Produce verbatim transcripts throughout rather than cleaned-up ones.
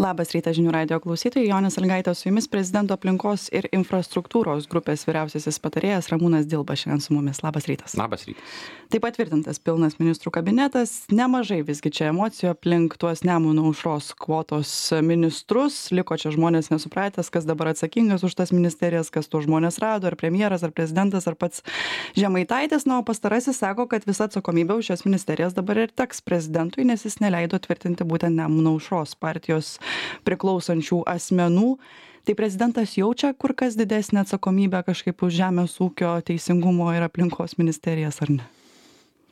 Labas rytas žinių radijo klausytojai, Jonė Sąlygaitė su jumis, prezidento aplinkos ir infrastruktūros grupės vyriausiasis patarėjas Ramūnas Dilba šiandien su mumis. Labas rytas. Labas rytas. Taip patvirtintas pilnas ministrų kabinetas, nemažai visgi čia emocijų aplink tuos Nemuno aušros kvotos ministrus, liko čia žmonės nesupratęs, kas dabar atsakingas už tas ministerijas, kas tuos žmonės rado, ar premjeras, ar prezidentas, ar pats Žemaitaitis, na, o pastarasis sako, kad visa atsakomybė už šias ministerijas dabar ir teks prezidentui, nes jis neleido tvirtinti būtent Nemuno aušros partijos priklausančių asmenų. Tai prezidentas jaučia kur kas didesnę atsakomybę kažkaip už žemės ūkio, teisingumo ir aplinkos ministerijas, ar ne?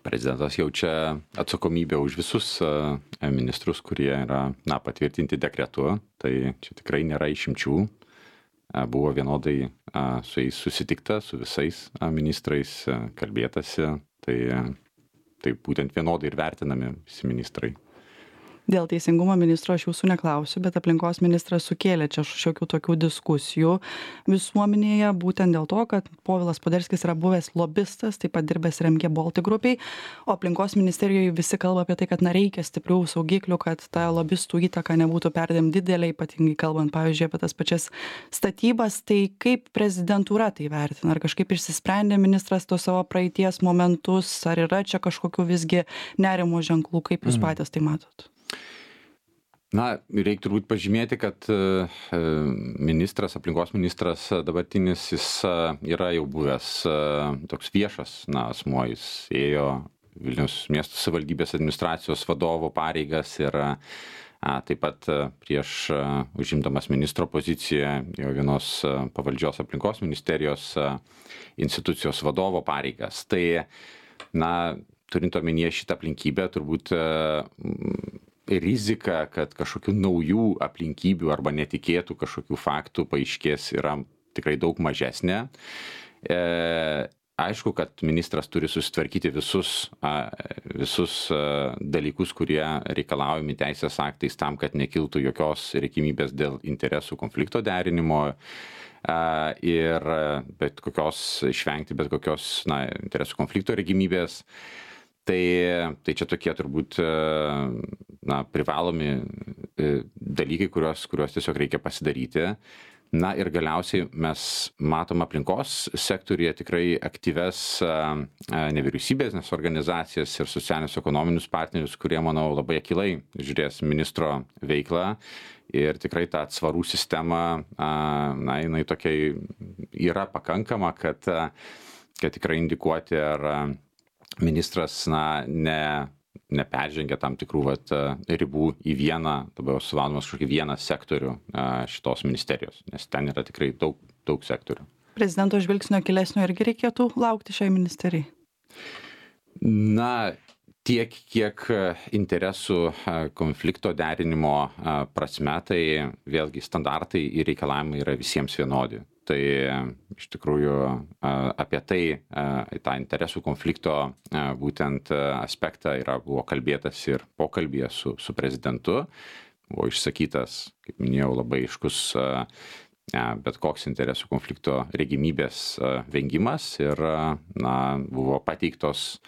Prezidentas jaučia atsakomybę už visus uh, ministrus, kurie yra na, patvirtinti dekretu. Tai čia tikrai nėra išimčių. Uh, buvo vienodai uh, su jais susitikta, su visais uh, ministrais uh, kalbėtasi. Tai, uh, tai būtent vienodai ir vertinami visi ministrai. Dėl teisingumo ministro aš jūsų neklausiu, bet aplinkos ministras sukėlė čia šiokių tokių diskusijų visuomenėje, būtent dėl to, kad Povilas Poderskis yra buvęs lobistas, taip pat dirbęs R M G Baltic grupiai, o aplinkos ministerijoje visi kalba apie tai, kad na, reikia stiprių saugiklių, kad ta lobistų įtaka nebūtų perdėm didelė, ypatingai kalbant, pavyzdžiui, apie tas pačias statybas. Tai kaip prezidentūra tai vertina? Ar kažkaip išsisprendė ministras to savo praeities momentus, ar yra čia kažkokių visgi nerimo ženklų, kaip jūs patys tai matot? Na, reikia turbūt pažymėti, kad ministras, aplinkos ministras dabartinis, jis yra jau buvęs toks viešas, na, asmuo, jis ėjo Vilniaus miesto savivaldybės administracijos vadovo pareigas ir a, taip pat prieš užimdamas ministro poziciją jo vienos pavaldžios aplinkos ministerijos institucijos vadovo pareigas. Tai, na, turint omenyje šitą aplinkybę, turbūt rizika, kad kažkokių naujų aplinkybių arba netikėtų kažkokių faktų paaiškės, yra tikrai daug mažesnė. E, aišku, kad ministras turi susitvarkyti visus, a, visus a, dalykus, kurie reikalaujami teisės aktais tam, kad nekiltų jokios reikimybės dėl interesų konflikto derinimo a, ir bet kokios išvengti bet kokios na, interesų konflikto reikimybės. Tai, tai čia tokie turbūt na, privalomi dalykai, kuriuos, kuriuos tiesiog reikia pasidaryti. Na ir galiausiai mes matom aplinkos sektoriuje tikrai aktyves nevyriausybės organizacijas ir socialinius ekonominius partnerius, kurie, manau, labai akylai žiūrės ministro veiklą. Ir tikrai ta atsvarų sistema, na, jinai tokia yra pakankama, kad, kad tikrai indikuoti, ar ministras na, ne, neperžengia tam tikrų vat, ribų į vieną, dabar suvaldomas kažkokį vieną sektorių šitos ministerijos, nes ten yra tikrai daug, daug sektorių. Prezidento žvilgsnio akylesnio irgi reikėtų laukti šiai ministerijai? Na, tiek, kiek interesų konflikto derinimo prasme, tai vėlgi standartai ir reikalavimai yra visiems vienodi. Tai iš tikrųjų apie tai, tą interesų konflikto būtent aspektą yra, buvo kalbėtas ir pokalbėje su, su prezidentu. Buvo išsakytas, kaip minėjau, labai aiškus bet koks interesų konflikto regimybės vengimas ir na, buvo pateiktos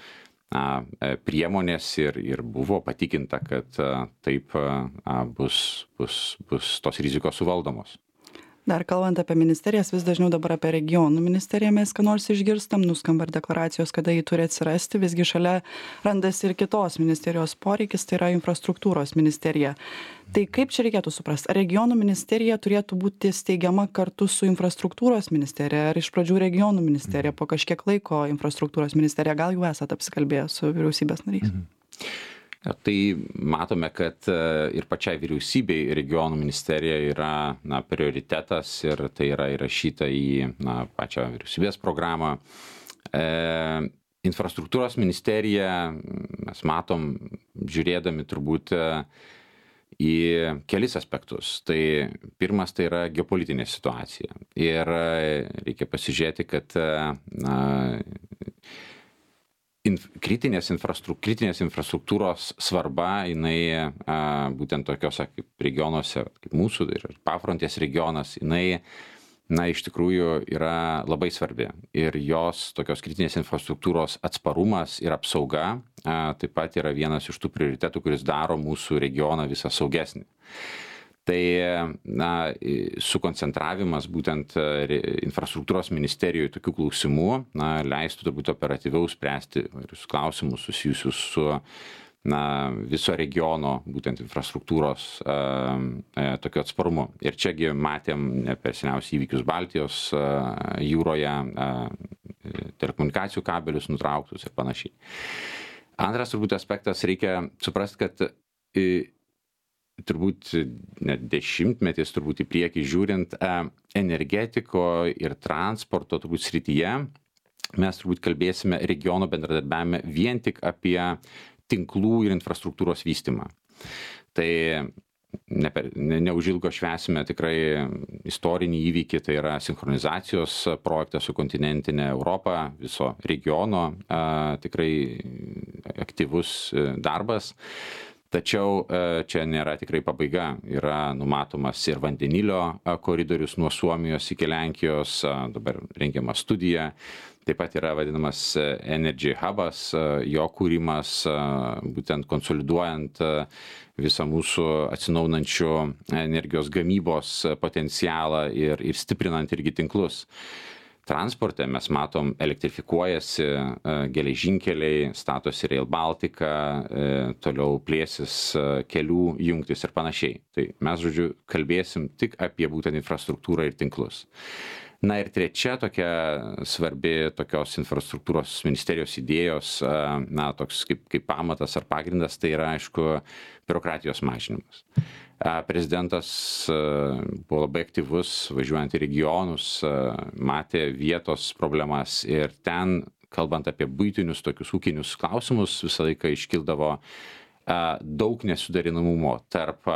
na, priemonės ir, ir buvo patikinta, kad taip bus, bus, bus tos rizikos suvaldomos. Dar kalbant apie ministerijas, vis dažniau dabar apie regionų ministeriją mes ką nors išgirstam, nuskamba ir deklaracijos, kada jį turi atsirasti, visgi šalia randasi ir kitos ministerijos poreikis, tai yra infrastruktūros ministerija. Tai kaip čia reikėtų suprasti? Ar regionų ministerija turėtų būti steigiama kartu su infrastruktūros ministerija, ar iš pradžių regionų ministerija, po kažkiek laiko infrastruktūros ministerija, gal jau esat apsikalbėję su vyriausybės nariais? Mhm. Tai matome, kad ir pačiai vyriausybei regionų ministerija yra na, prioritetas ir tai yra įrašyta į na, pačią vyriausybės programą. E, infrastruktūros ministerija mes matom, žiūrėdami turbūt į kelis aspektus. Tai pirmas tai yra geopolitinė situacija. Ir reikia pasižiūrėti, kad na, Inf, kritinės, infrastru, kritinės infrastruktūros svarba, jinai a, būtent tokiuose kaip regionuose, kaip mūsų ir pafrontės regionas, jinai na, iš tikrųjų yra labai svarbi. Ir jos tokios kritinės infrastruktūros atsparumas ir apsauga a, taip pat yra vienas iš tų prioritetų, kuris daro mūsų regioną visą saugesnį. Tai na, sukoncentravimas būtent infrastruktūros ministerijoje tokių klausimų na, leistų turbūt operatyviau spręsti įvairius klausimus susijusius su na, viso regiono būtent infrastruktūros e, e, tokio atsparumu. Ir čiagi matėm ne per seniausiai įvykius Baltijos e, jūroje, e, telekomunikacijų kabelius nutrauktus ir panašiai. Antras turbūt aspektas, reikia suprasti, kad e, turbūt net dešimtmetis turbūt į priekį žiūrint energetiko ir transporto turbūt srityje, mes turbūt kalbėsime regiono bendradarbiavime vien tik apie tinklų ir infrastruktūros vystymą. Tai ne per, ne, neužilgo švęsime tikrai istorinį įvykį, tai yra sinchronizacijos projektas su kontinentinė Europa, viso regiono, a, tikrai aktyvus darbas. Tačiau čia nėra tikrai pabaiga. Yra numatomas ir vandenilio koridorius nuo Suomijos iki Lenkijos, dabar rengiama studija. Taip pat yra vadinamas Energy Hubas, jo kūrimas, būtent konsoliduojant visą mūsų atsinaujinančių energijos gamybos potencialą ir, ir stiprinant irgi tinklus. Transporte mes matom, elektrifikuojasi geležinkeliai, statosi Rail Baltica, toliau plėsis kelių jungtis ir panašiai. Tai mes, žodžiu, kalbėsim tik apie būtent infrastruktūrą ir tinklus. Na ir trečia tokia svarbi tokios infrastruktūros ministerijos idėjos, na, toks kaip, kaip pamatas ar pagrindas, tai yra, aišku, biurokratijos mažinimas. Prezidentas buvo labai aktyvus, važiuojant į regionus, matė vietos problemas ir ten, kalbant apie buitinius tokius ūkinius klausimus, visą laiką iškildavo daug nesuderinamumo tarp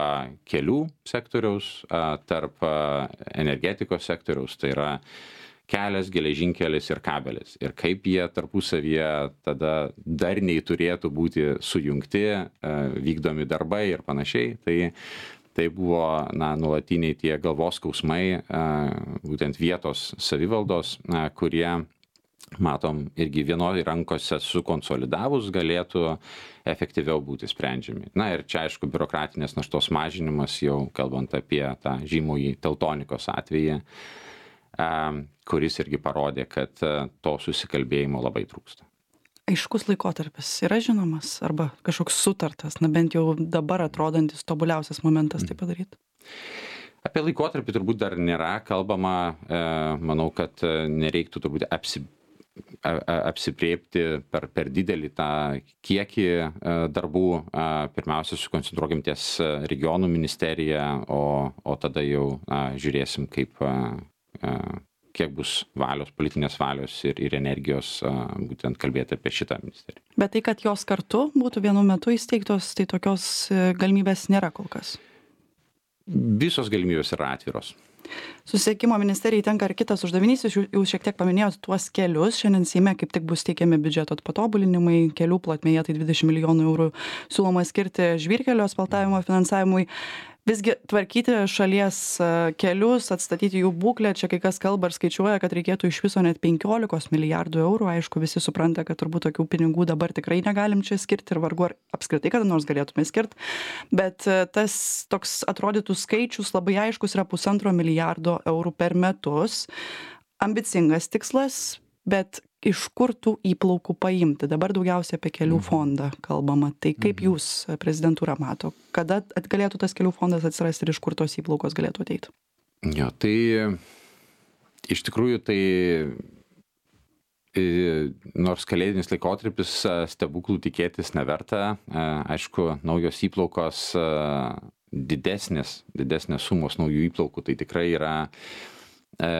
kelių sektoriaus, tarp energetikos sektoriaus, tai yra kelias, geležinkelis ir kabelis. Ir kaip jie tarpusavyje tada darniai turėtų būti sujungti, vykdomi darbai ir panašiai. Tai, tai buvo na, nuolatiniai tie galvos skausmai, būtent vietos savivaldos, kurie, matom, irgi vienoj rankose sukonsolidavus galėtų efektyviau būti sprendžiami. Na ir čia, aišku, biurokratinės naštos mažinimas, jau kalbant apie tą žymųjį Teltonikos atvejį, kuris irgi parodė, kad to susikalbėjimo labai trūksta. Aiškus laikotarpis yra žinomas arba kažkoks sutartas, na bent jau dabar atrodantis tobuliausias momentas tai padaryti? Apie laikotarpį turbūt dar nėra kalbama, manau, kad nereiktų turbūt apsi, apsipriepti per, per didelį tą kiekį darbų. Pirmiausia, sukoncentruokim ties regionų ministerija, o, o tada jau žiūrėsim, kaip kiek bus valios, politinės valios ir, ir energijos būtent kalbėti apie šitą ministeriją. Bet tai, kad jos kartu būtų vienu metu įsteigtos, tai tokios galimybės nėra kol kas? Visos galimybės yra atviros. Susisiekimo ministerijai tenka ir kitas uždavinys, jūs šiek tiek paminėjot tuos kelius, šiandien Seime kaip tik bus teikiami biudžeto patobulinimai, kelių plotmėje tai dvidešimt milijonų eurų siūloma skirti žvyrkelio asfaltavimo finansavimui. Visgi tvarkyti šalies kelius, atstatyti jų būklę, čia kai kas kalba ir skaičiuoja, kad reikėtų iš viso net penkiolikos milijardų eurų, aišku, visi supranta, kad turbūt tokių pinigų dabar tikrai negalim čia skirti ir vargu ar apskritai kada nors galėtume skirti, bet tas toks atrodytų skaičius labai aiškus yra pusantro milijardo eurų per metus, ambicingas tikslas, bet iš kur tų įplaukų paimti? Dabar daugiausiai apie kelių fondą kalbama. Tai kaip jūs, prezidentūra, mato? Kada galėtų tas kelių fondas atsirasti ir iš kur tos įplaukos galėtų ateiti? Jo, tai iš tikrųjų tai nors kalėdinis laikotarpis stebuklų tikėtis neverta. Aišku, naujos įplaukos didesnės, didesnės sumos naujų įplaukų, tai tikrai yra e,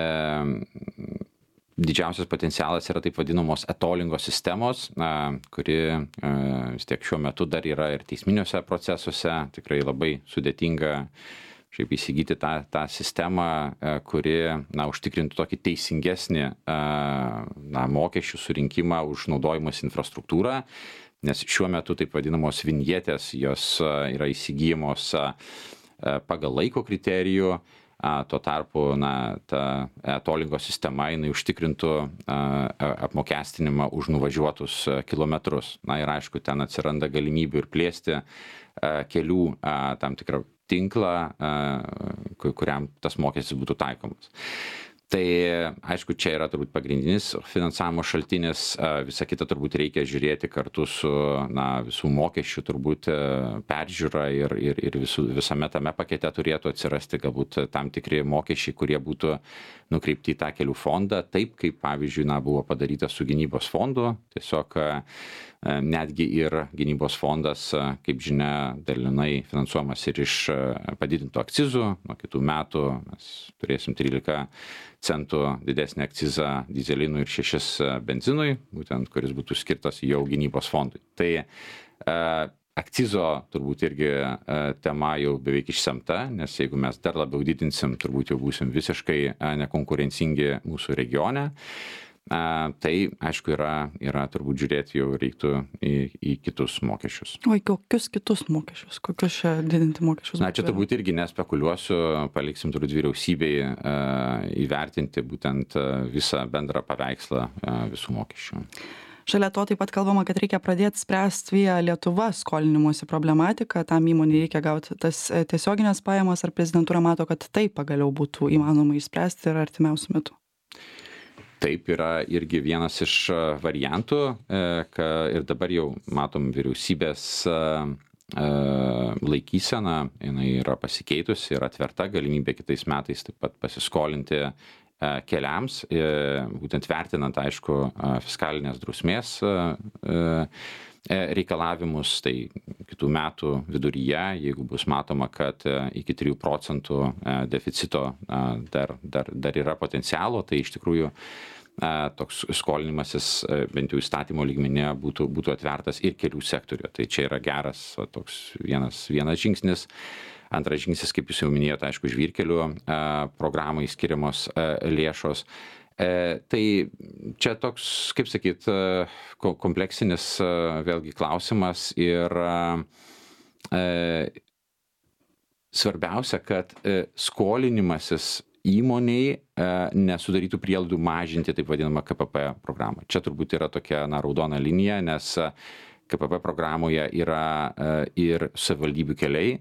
didžiausias potencialas yra taip vadinamos etolingos sistemos, kuri vis tiek šiuo metu dar yra ir teisminiuose procesuose, tikrai labai sudėtinga šiaip įsigyti tą, tą sistemą, kuri na, užtikrintų tokį teisingesnį na, mokesčių surinkimą už naudojimas infrastruktūrą, nes šiuo metu taip vadinamos vinjetės, jos yra įsigyjamos pagal laiko kriterijų. Tuo tarpu na, ta etolingo sistema jinai užtikrintų a, apmokestinimą už nuvažiuotus kilometrus. Na ir aišku, ten atsiranda galimybių ir plėsti a, kelių a, tam tikrą tinklą, kuriam tas mokestis būtų taikomas. Tai aišku, čia yra turbūt pagrindinis finansavimo šaltinis, visa kita turbūt reikia žiūrėti kartu su na, visų mokesčių turbūt peržiūra ir, ir, ir visų, visame tame pakete turėtų atsirasti galbūt tam tikri mokesčiai, kurie būtų nukreipti į tą kelių fondą, taip kaip pavyzdžiui na, buvo padaryta su gynybos fondu, tiesiog netgi ir gynybos fondas, kaip žinia, dalinai finansuojamas ir iš padidintų akcizų, nuo kitų metų mes turėsim trylika centų didesnį akcizą dyzelinui ir šešis benzinui, būtent kuris būtų skirtas jau gynybos fondui. Tai e, akcizo turbūt irgi e, tema jau beveik išsemta, nes jeigu mes dar labiau didinsim, turbūt jau būsim visiškai e, nekonkurencingi mūsų regione. A, tai, aišku, yra, yra turbūt žiūrėti jau reiktų į, į kitus mokesčius. O į kokius kitus mokesčius? Kokius čia didinti mokesčius? Na, čia turbūt irgi nespekuliuosiu, paliksim turbūt vyriausybei a, įvertinti būtent a, visą bendrą paveikslą a, visų mokesčių. Šalia to taip pat kalbama, kad reikia pradėti spręsti Via Lietuva skolinimosi problematiką, tam įmonei reikia gauti tas tiesioginės pajamas, ar prezidentūra mato, kad tai pagaliau būtų įmanoma išspręsti ir artimiausiu metu? Taip yra irgi vienas iš variantų, ir dabar jau matom vyriausybės laikysena, jinai yra pasikeitusi ir atverta galimybė kitais metais taip pat pasiskolinti keliams, būtent vertinant, aišku, fiskalinės drausmės reikalavimus, tai kitų metų viduryje, jeigu bus matoma, kad iki trijų procentų deficito dar, dar, dar yra potencialo, tai iš tikrųjų toks skolinimasis bent jau įstatymo lygmenyje būtų, būtų atvertas ir kelių sektoriuje. Tai čia yra geras toks vienas, vienas žingsnis. Antras žingsnis, kaip jūs jau minėjote, aišku, žvyrkelių programai skiriamos lėšos. Tai čia toks, kaip sakyt, kompleksinis vėlgi klausimas ir svarbiausia, kad skolinimasis įmoniai nesudarytų prielaidų mažinti taip vadinamą K P P programą. Čia turbūt yra tokia na, raudona linija, nes K P P programoje yra ir savivaldybių keliai.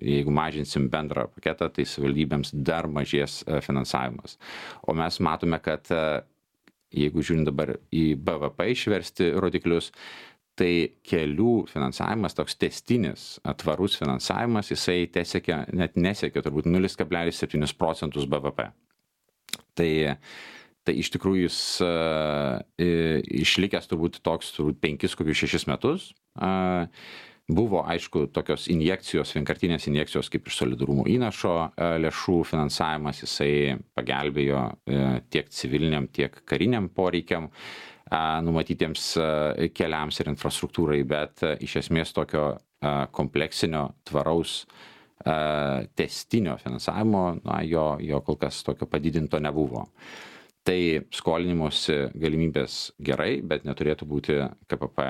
Jeigu mažinsim bendrą paketą, tai savivaldybėms dar mažės finansavimas. O mes matome, kad jeigu žiūrint dabar į B V P išversti rodiklius, tai kelių finansavimas, toks tęstinis, tvarus finansavimas, jisai tesiekia, net nesiekia turbūt nulis kablelis septyni procentus B V P. Tai, tai iš tikrųjų jis uh, išlikęs turbūt toks turbūt penkis, kokius šešis metus. Uh, buvo, aišku, tokios injekcijos, vienkartinės injekcijos kaip iš solidarumo įnašo uh, lėšų finansavimas, jisai pagelbėjo uh, tiek civiliniam, tiek kariniam poreikiam numatytiems keliams ir infrastruktūrai, bet iš esmės tokio kompleksinio, tvaraus, testinio finansavimo, na, jo, jo kol kas tokio padidinto nebuvo. Tai skolinimosi galimybės gerai, bet neturėtų būti K P P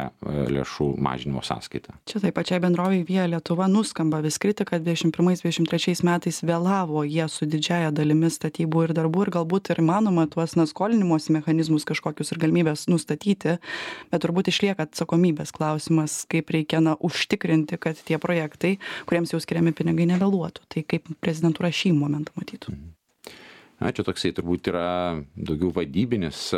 lėšų mažinimo sąskaita. Čia taip pačiai bendrovei Via Lietuva nuskamba vis kritika, kad dvidešimt pirmais dvidešimt trečiais metais vėlavo jie su didžiaja dalimi statybų ir darbų ir galbūt ir manoma tuos na, skolinimosi mechanizmus kažkokius ir galimybės nustatyti, bet turbūt išlieka atsakomybės klausimas, kaip reikia na, užtikrinti, kad tie projektai, kuriems jau skiriami pinigai, nevėluotų. Tai kaip prezidentūra šį momentą matytų? Mhm. Na, čia toksai turbūt yra daugiau vadybinis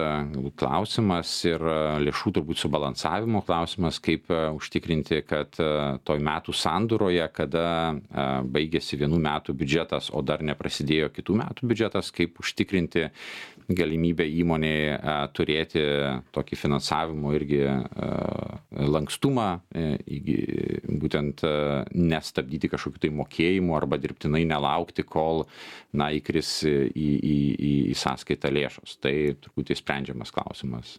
klausimas ir lėšų turbūt subalansavimo klausimas, kaip užtikrinti, kad toj metų sandūroje, kada baigėsi vienų metų biudžetas, o dar neprasidėjo kitų metų biudžetas, kaip užtikrinti galimybę įmonėje turėti tokį finansavimo irgi lankstumą, būtent nestabdyti kažkokių tai mokėjimų arba dirbtinai nelaukti, kol na, įkris į, į, į, į sąskaitą lėšos. Tai turbūt įsprendžiamas klausimas.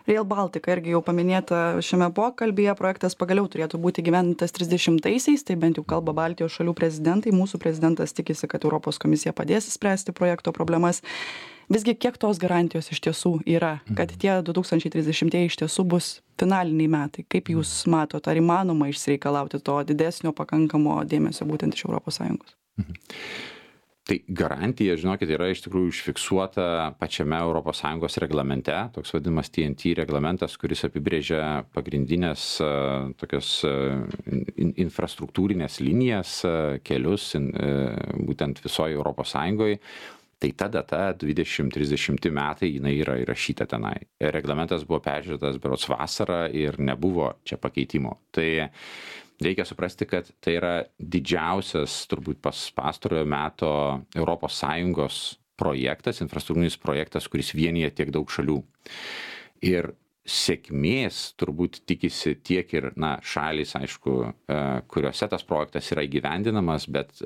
Rail Baltica irgi jau paminėta šiame pokalbyje, projektas pagaliau turėtų būti įgyvendintas trisdešimtaisiais, tai bent jau kalba Baltijos šalių prezidentai, mūsų prezidentas tikisi, kad Europos komisija padės spręsti projekto problemas. Visgi kiek tos garantijos iš tiesų yra, kad tie du tūkstančiai trisdešimtieji iš tiesų bus finaliniai metai? Kaip jūs matote, ar įmanoma išsireikalauti to didesnio pakankamo dėmesio būtent iš Europos Sąjungos? Tai garantija, žinokit, yra iš tikrųjų užfiksuota pačiame Europos Sąjungos reglamente, toks vadinamas T N T reglamentas, kuris apibrėžia pagrindinės uh, tokias uh, in, infrastruktūrinės linijas, uh, kelius in, uh, būtent visoje Europos Sąjungoje. Tai ta data dvidešimt trisdešimt metai jinai yra įrašyta tenai. Reglamentas buvo peržiūrėtas berods vasarą ir nebuvo čia pakeitimo. Tai reikia suprasti, kad tai yra didžiausias turbūt pas pastarojo meto Europos Sąjungos projektas, infrastruktūrinis projektas, kuris vienyje tiek daug šalių. Ir sėkmės turbūt tikisi tiek ir na, šalys, aišku, kuriuose tas projektas yra įgyvendinamas, bet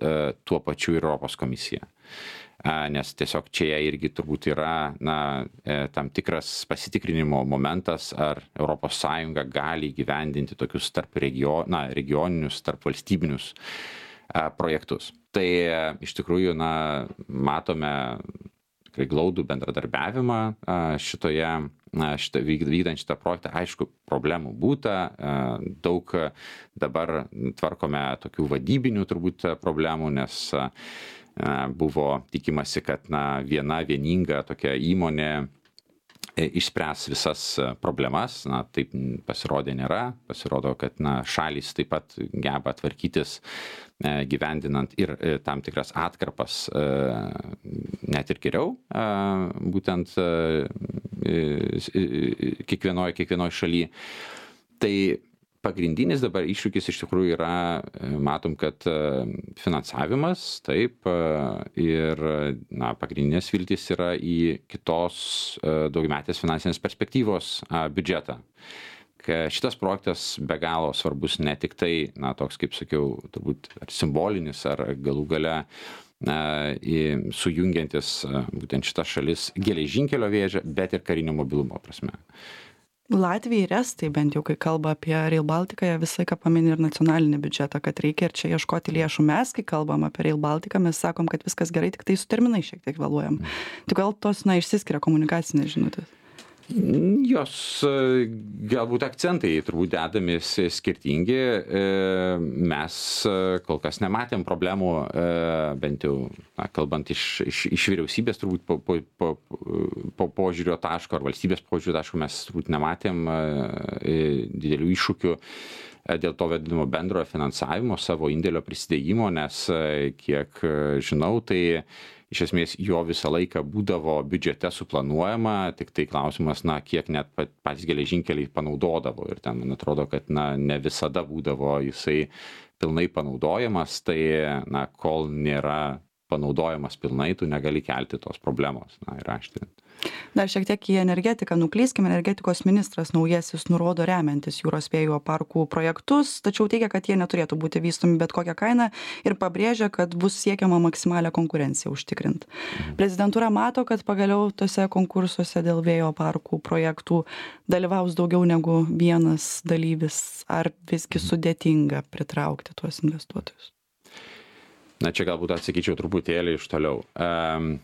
tuo pačiu ir Europos komisija. Nes tiesiog čia irgi turbūt yra na, tam tikras pasitikrinimo momentas, ar Europos Sąjunga gali įgyvendinti tokius tarp regio, na, regioninius, tarp valstybinius projektus. Tai iš tikrųjų na, matome tikrai glaudų bendradarbiavimą šitoje, šitą, vykdant šitą projektą. Aišku, problemų būta, daug dabar tvarkome tokių vadybinių turbūt problemų, nes buvo tikimasi, kad na, viena vieninga tokia įmonė išspręs visas problemas. Na, taip pasirodė nėra. Pasirodo, kad na, šalys taip pat geba tvarkytis gyvendinant ir tam tikras atkarpas net ir geriau, būtent kiekvienoje kiekvienoj šalyje. Tai pagrindinis dabar iššūkis iš tikrųjų yra, matom, kad finansavimas, taip, ir na, pagrindinės viltys yra į kitos daugiametės finansinės perspektyvos biudžetą. Šitas projektas be galo svarbus ne tik tai, na, toks, kaip sakiau, turbūt ar simbolinis, ar galų gale na, sujungiantis būtent šitas šalis geležinkelio vėžę, bet ir karinio mobilumo prasme. Latvija ir Estai, bent jau kai kalba apie Rail Baltica, jie visą laiką pamini ir nacionalinį biudžetą, kad reikia ir čia ieškoti lėšų. Mes, kai kalbam apie Rail Baltica, mes sakom, kad viskas gerai, tik tai su terminai šiek tiek vėluojam. Tai gal tos, na, išsiskiria komunikacinės žinutės? Jos galbūt akcentai turbūt dedami skirtingi. Mes kol kas nematėm problemų, bent jau na, kalbant iš, iš, iš vyriausybės turbūt po, po, po, po požiūrio taško ar valstybės požiūrio taško mes turbūt nematėm didelių iššūkių dėl to vadinamo bendrojo finansavimo, savo indėlio prisidėjimo, nes kiek žinau, tai iš esmės jo visą laiką būdavo biudžete suplanuojama, tik tai klausimas, na, kiek net patys geležinkeliai panaudodavo. Ir ten, man atrodo, kad na, ne visada būdavo jisai pilnai panaudojamas, tai na, kol nėra panaudojamas pilnai, tu negali kelti tos problemos. Na, ir aštinti. Dar šiek tiek į energetiką nuklyskim. Energetikos ministras naujasis nurodo remiantis jūros vėjo parkų projektus, tačiau teigia, kad jie neturėtų būti vystomi bet kokią kainą ir pabrėžia, kad bus siekiama maksimalią konkurenciją užtikrinti. Prezidentūra mato, kad pagaliau tose konkursuose dėl vėjo parkų projektų dalyvaus daugiau negu vienas dalyvis, ar visgi sudėtinga pritraukti tuos investuotojus? Na, čia galbūt atsakyčiau truputėlį iš toliau. Um,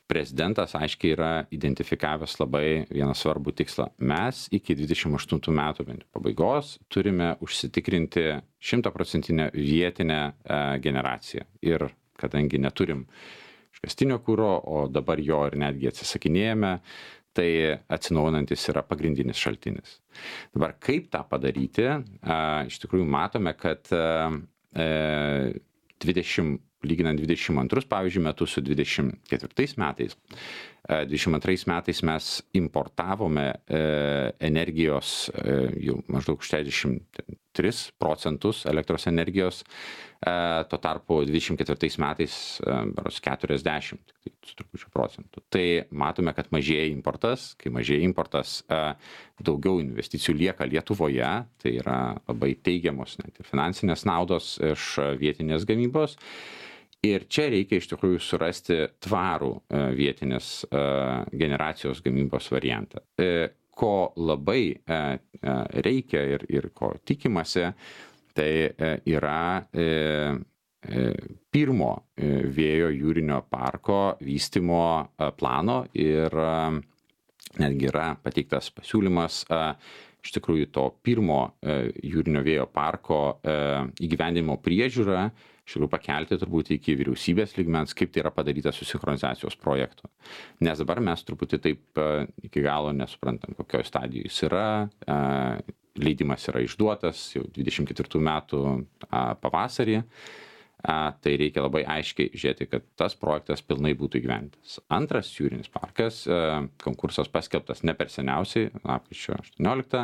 Prezidentas aiškiai yra identifikavęs labai vieną svarbų tikslą. Mes iki dvidešimt aštuntų metų pabaigos turime užsitikrinti šimtaprocentinę vietinę e, generaciją. Ir kadangi neturim iškastinio kuro, o dabar jo ir netgi atsisakinėjame, tai atsinaujinantis yra pagrindinis šaltinis. Dabar kaip tą padaryti? E, iš tikrųjų matome, kad e, dvidešimt lyginant dvidešimt antrus, pavyzdžiui, metus su dvidešimt ketvirtais metais. dvidešimt antrais metais mes importavome energijos jau maždaug šešiasdešimt tris procentus elektros energijos, tuo tarpu dvidešimt ketvirtais metais berods keturiasdešimt su trupučiu procentų. Tai matome, kad mažėja importas, kai mažėja importas, daugiau investicijų lieka Lietuvoje, tai yra labai teigiamos net ir finansinės naudos iš vietinės gamybos. Ir čia reikia iš tikrųjų surasti tvarų vietinės generacijos gamybos variantą. Ko labai reikia ir, ir ko tikimasi, tai yra pirmo vėjo jūrinio parko vystymo plano ir netgi yra pateiktas pasiūlymas iš tikrųjų to pirmo jūrinio vėjo parko įgyvendinimo priežiūrą iš tikrųjų pakelti turbūt iki vyriausybės lygmens, kaip tai yra padaryta su sinchronizacijos projektu. Nes dabar mes truputį taip iki galo nesuprantam, kokioje stadijoje jis yra. Leidimas yra išduotas jau dvidešimt ketvirtų metų pavasarį. Tai reikia labai aiškiai žiūrėti, kad tas projektas pilnai būtų įgyvendintas. Antras jūrinis parkas, konkursas paskelbtas ne per seniausiai, lapkričio aštuonioliktą.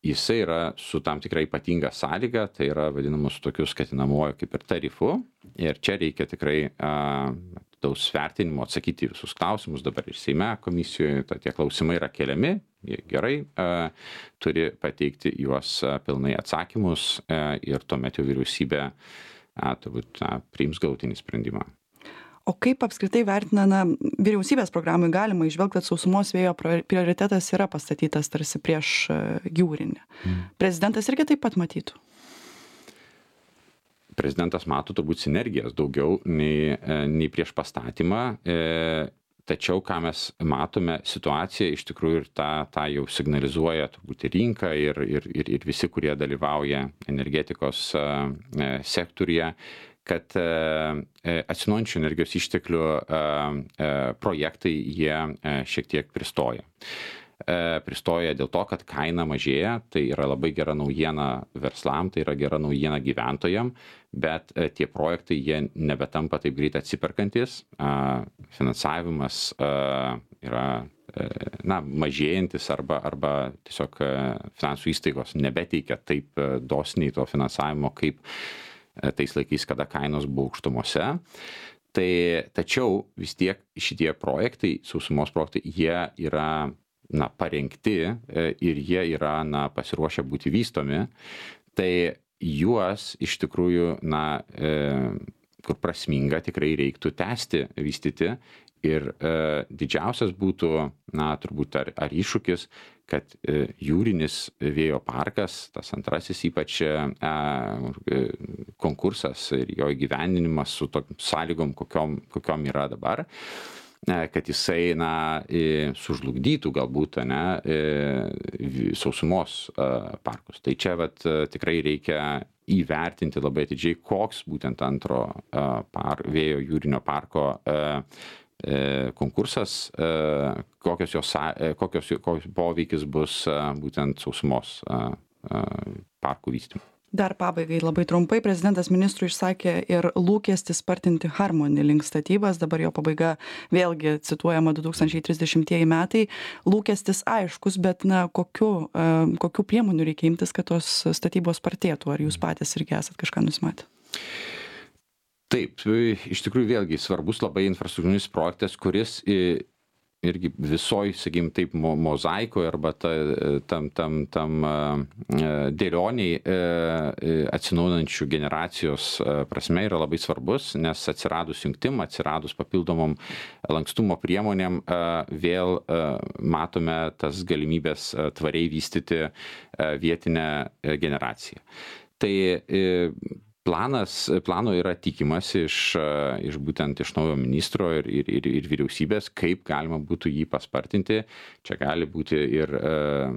Jisai yra su tam tikrai ypatinga sąlyga, tai yra vadinamus tokius skatinamuoju kaip ir tarifu. Ir čia reikia tikrai daug vertinimo atsakyti visus klausimus, dabar ir Seime komisijoje tie klausimai yra keliami, jie gerai turi pateikti juos pilnai atsakymus ir tuomet jau vyriausybė turbūt priims galutinį sprendimą. O kaip apskritai vertina, na, vyriausybės programai galima įžvelgti, kad sausumos vėjo prioritetas yra pastatytas tarsi prieš jūrinį. Mm. Prezidentas irgi taip pat matytų? Prezidentas mato turbūt sinergijas daugiau nei, nei prieš pastatymą, tačiau ką mes matome situaciją iš tikrųjų ir tą, tą jau signalizuoja turbūt ir rinka ir, ir, ir, ir visi, kurie dalyvauja energetikos sektoriuje, kad atsinaujinančių energijos išteklių projektai jie šiek tiek pristoja. Pristoja dėl to, kad kaina mažėja, tai yra labai gera naujiena verslam, tai yra gera naujiena gyventojam, bet tie projektai jie nebetampa taip greit atsiperkantis, finansavimas yra na, mažėjantis arba, arba tiesiog finansų įstaigos nebeteikia taip dosniai to finansavimo, kaip tais laikais, kada kainos buvo aukštumose. Tai, tačiau vis tiek šitie projektai, sausumos projektai, jie yra na, parengti ir jie yra na, pasiruošę būti vystomi, tai juos iš tikrųjų, na, kur prasminga tikrai reiktų tęsti, vystyti ir didžiausias būtų, na, turbūt ar, ar iššūkis, kad jūrinis vėjo parkas, tas antrasis ypač konkursas ir jo įgyvendinimas su tokiam sąlygom, kokiom, kokiom yra dabar, kad jisai, na, sužlugdytų galbūt, ne, sausumos parkus. Tai čia vat, tikrai reikia įvertinti labai atidžiai, koks būtent antro par, vėjo jūrinio parko konkursas, kokios jos, kokios, kokios poveikis bus būtent sausumos parkų vystymui. Dar pabaigai labai trumpai, prezidentas ministrui išsakė ir lūkestį spartinti Harmony link statybas, dabar jo pabaiga vėlgi cituojama du tūkstančiai trisdešimtieji metai. Lūkestis aiškus, bet na, kokiu, kokiu priemonių reikia imtis, kad tos statybos spartėtų? Ar jūs patys irgi esat kažką nusimatę? Taip, iš tikrųjų vėlgi svarbus labai infrastruktūrinis projektas, kuris irgi visoj, sakykim, taip mo, mozaikoje arba ta, tam, tam, tam dėlioniai atsinaujinančių generacijos prasme yra labai svarbus, nes atsiradus jungtim, atsiradus papildomom lankstumo priemonėm vėl matome tas galimybės tvariai vystyti vietinę generaciją. Tai Planas, plano yra tikimas iš, iš būtent iš naujo ministro ir, ir, ir, ir vyriausybės, kaip galima būtų jį paspartinti. Čia gali būti ir uh,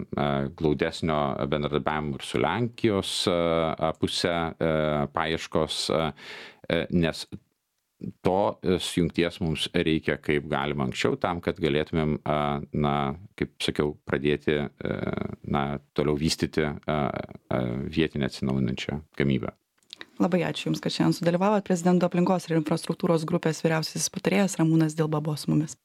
glaudesnio bendradarbiavimo ir su Lenkijos uh, pusė uh, paieškos, uh, nes to jungties mums reikia kaip galima anksčiau tam, kad galėtumėm, uh, na, kaip sakiau, pradėti uh, na, toliau vystyti uh, uh, vietinę atsinaujinančią gamybą. Labai ačiū Jums, kad šiandien sudalyvavot. Prezidento aplinkos ir infrastruktūros grupės vyriausiasis patarėjas Ramūnas Dilba buvo su mumis.